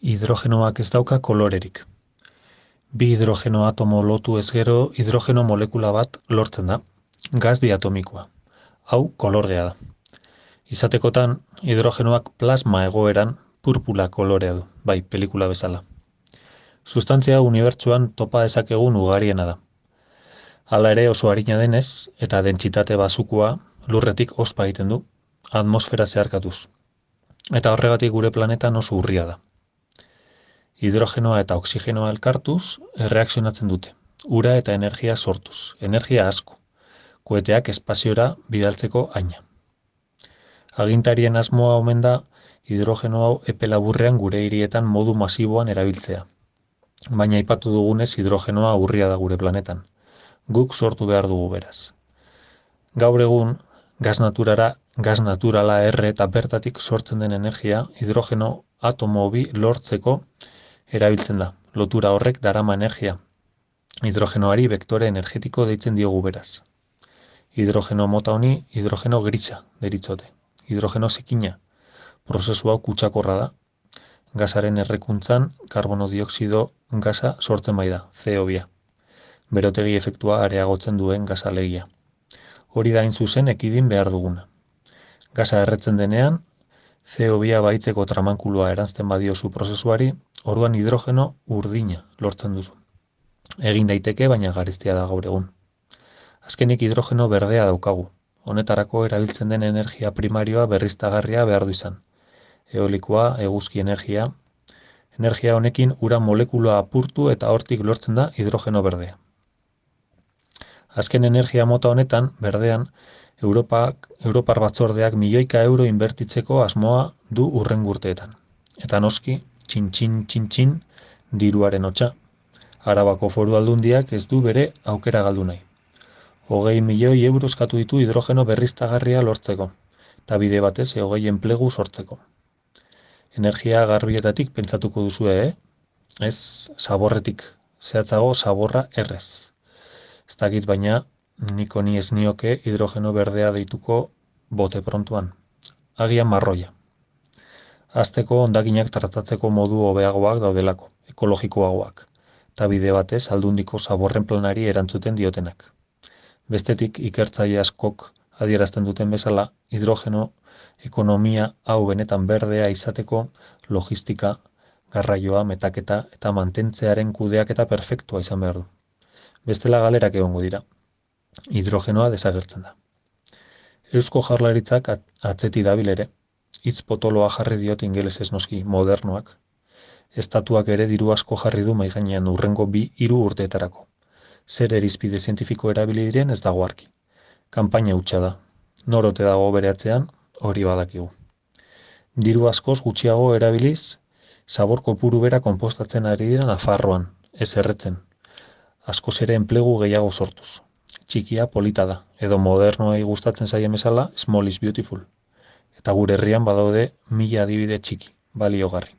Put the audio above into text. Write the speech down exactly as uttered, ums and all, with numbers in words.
Hidrogenoak ez dauka kolorerik. Bi hidrogeno atomo lotu ez gero hidrogeno molekula bat lortzen da, gas diatomikoa. Hau kolorgea da. Izatekotan, hidrogenoak plasma egoeran purpula kolorea du, bai, pelikula bezala. Sustantzia unibertsuan topa dezakegun ugariena da. Hala ere oso arina denez, eta dentsitate basukua lurretik ospa egiten du, atmosfera zeharkatuz. Eta horregatik gure planetan oso urria da. Hidrogenoa eta oxigenoa elkartuz erreakzionatzen dute, ura eta energia sortuz, energia asko, koeteak espaziora bidaltzeko haina. Agintarien asmoa omen da hidrogeno hau epe laburrean gure hirietan modu masiboan erabiltzea. Baina aipatu dugunez hidrogenoa urria da gure planetan. Guk sortu behar dugu beraz. Gaur egun, gas naturara, gas naturala erre eta bertatik sortzen den energia hidrogeno atomo bi lortzeko erabiltzen da. Lotura horrek darama energia. Hidrogenoari vektore energetiko deitzen diogu beraz. Hidrogeno mota honi hidrogeno grisa deritzote. Hidrogeno zikina. Prozesu hau kutsakorra da. Gasaren errekuntzan karbono dioxido gasa sortzen bai da, C O bi. Berotegi efektua areagotzen duen gasa alegia. Hori da hain zuzen ekidin behar duguna. Gasa erretzen denean, C O bi baitzeko tramankulua eranzten badiozu prozesuari, orduan hidrogeno urdina lortzen duzu. Egin daiteke, baina garestia da gaur egun. Azkenik hidrogeno berdea daukagu. Honetarako erabiltzen den energia primarioa berriztagarria behar du izan. Eolikoa, eguzki energia. Energia honekin ura molekula apurtu eta hortik lortzen da hidrogeno berdea. Azken energia mota honetan, berdean, Europak, Europar batzordeak milioika euro inbertitzeko asmoa du hurrengo urteetan. Eta noski, txin-txin, txin-txin, diruaren hotsa. Arabako Foru Aldundiak ez du bere aukera galdu nahi. Hogei milioi euro eskatu ditu hidrogeno berriztagarria lortzeko, eta bide batez hogei enplegu sortzeko. Energia garbietatik pentsatuko duzue, eh? Ez zaborretik, zehatzago zaborra errez. Ez dakit baina, niko ni ez nioke hidrogeno berdea deituko bote prontuan. Agian marroia. Azteko hondakinak tratatzeko modu hobeagoak daudelako, ekologikoagoak, eta bide batez aldundiko zaborren planari erantzuten diotenak. Bestetik ikertzaile askok adierazten duten bezala, hidrogeno ekonomia hau benetan berdea izateko logistika, garraioa, metaketa eta mantentzearen kudeaketa perfektua izan behar du. Bestela galerak egongo dira. Hidrogenoa desagertzen da. Eusko Jaurlaritzak atzeti dabil ere, hitz potoloa jarri diot ingelesez noski modernoak. Estatuak ere diru asko jarri du mahai gainean hurrengo bi hiru urteetarako. Zer irizpide zientifiko erabili diren ez dago argi. Kanpaina hutsa da. Norote dago bere atzean, hori badakigu. Diru askoz gutxiago erabiliz, zabor kopuru bera konpostatzen ari dira Nafarroan, ez erretzen. Askoz ere enplegu gehiago sortuz. Txikia polita da, edo modernoei gustatzen zaien bezala, small is beautiful. Eta gure herrian badaude mila adibide txiki, baliogarri.